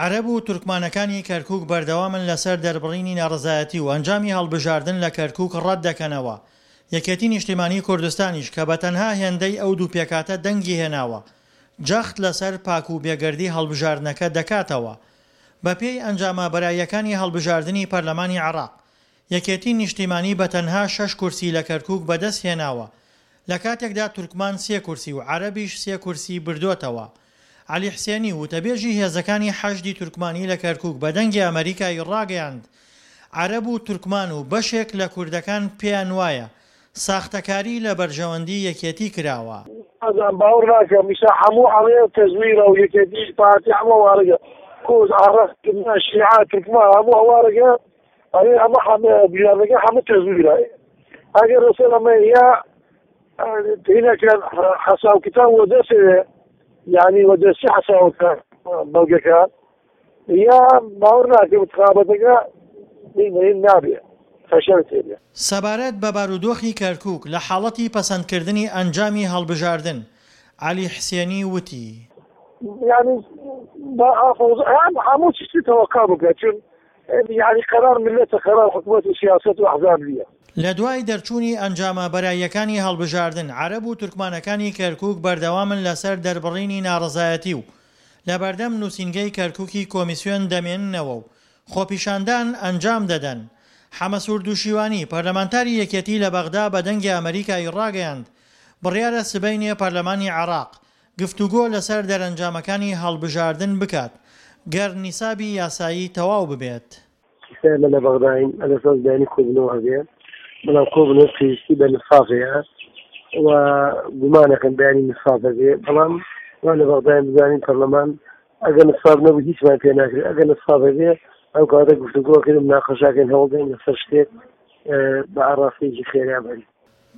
عەرەب و تورکمانەکانی کەرکوک بەردەوامن لەسەر دەربڕینی ناڕەزایەتی و ئەنجامی هەڵبژاردن لە کەرکوک ڕەتدەکەنەوە، یەکێتی نیشتیمانی کوردستانیش کە بە تەنها هێندەی ئەو دوو پێکهاتە دەنگی هێناوە، جەخت لەسەر پاک و بێگەردی هەڵبژاردنەکە دەکاتەوە. بەپێی ئەنجامە بەراییەکانی هەڵبژاردنی پەرلەمانی عێراق، یەکێتی نیشتیمانی بە تەنها شەش کورسی لە کەرکوک بەدەست هێناوە، لە کاتێکدا تورکمان سێ کورسی و عەرەبیش سێ کورسی بردۆتەوە. عەلی حسێنی، وتەبێژی هێزەکانی حەشدی تورکمانی لە کەرکوک بە دەنگی ئەمەریکای ڕاگەیاند، عەرەب و تورکمان و بەشێک لە کوردەکان پێیان وایە ساختەکاری لە بەرژەوەندی یەکێتی کراوە. ئازان باوەڕ ناکەم ئیسا هەموو ئەڵێ تەزویرە و یەکێتی پارتی هەموو ئەوارەگە کورد عەڕەب شیعە تورکمان هەموو ئەوارەگە ئەرێ ئەمە حەمە بیانەکە حەمە تەزویرە ئەگەر لەسەر ئەمە یا هینەکە حەساو کتاب وەدەسێ یعنی وەدەستی حەساوەکە بەڵگەکە یا باوەڕ ناکەم انتخاباتەکە نابێ فەشەل تێبێ. سەبارەت بە بارودۆخی کەرکوک لە حاڵەتی پەسەندکردنی ئەنجامی هەڵبژاردن، عەلی حسێنی وتی. یعنی با هەموو چشتی تەوەقع بکە چون یانی قەرار میللەتە قەرار حکومەت و سیاسەت و ئەحزاب نیە. لە دوای دەرچوونی ئەنجامە بەراییەکانی هەڵبژاردن، عەرەب و تورکمانەکانی کەرکوک بەردەوامن لەسەر دەربڕینی ناڕەزایەتی و لەبەردەم نوسینگەی کەرکوکی کۆمیسیۆن دەمێننەوە و خۆپیشاندان ئەنجام دەدەن. حەمەسور دوشیوانی، پەرلەمانتاری یەکێتی لە بەغدا بە دەنگی ئەمەریکای ڕاگەیاند، بڕیارە سبەینێ پەرلەمانی عێراق گفتوگۆ لەسەر دەرەنجامەکانی هەڵبژاردن بکات گەر نیسابی یاسایی تەواو ببێت. ئیستا ئێمە لە بەغداین ئەلەساس بەیانی کۆبوونەوە هەبێ بەڵام کۆبوونەوە پێویستی بە نساف هەیە و گومانەکەم بەیانی نساف هەبێ بەڵام وا لە بەغداین بزانین پەرلەمان ئەگەر نساب نەبوو هیچمان پێ ناکرێت ئەگەر نساب هەبێ ئەو کاتە گفتوگۆکردن مناقەشاکەین هەوڵدەین لەسەر شتێک بە ئاڕاستەیەکی خێرا بەرین.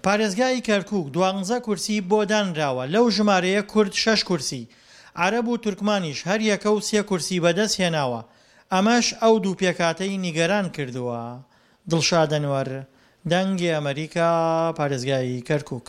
پارێزگای کەرکوک دوانزە کورسی بۆ دانراوە، لەو ژمارەیە کورد شەش کورسی، عەرەب و تورکمانیش هەر یەکە و سێ کورسی بەدەست هێناوە، ئەمەش ئەو دوو پێکهاتەی نیگەران کردووە. دڵشاد ئەنوەر، دەنگی ئەمەریکا، پارێزگای کەرکوک.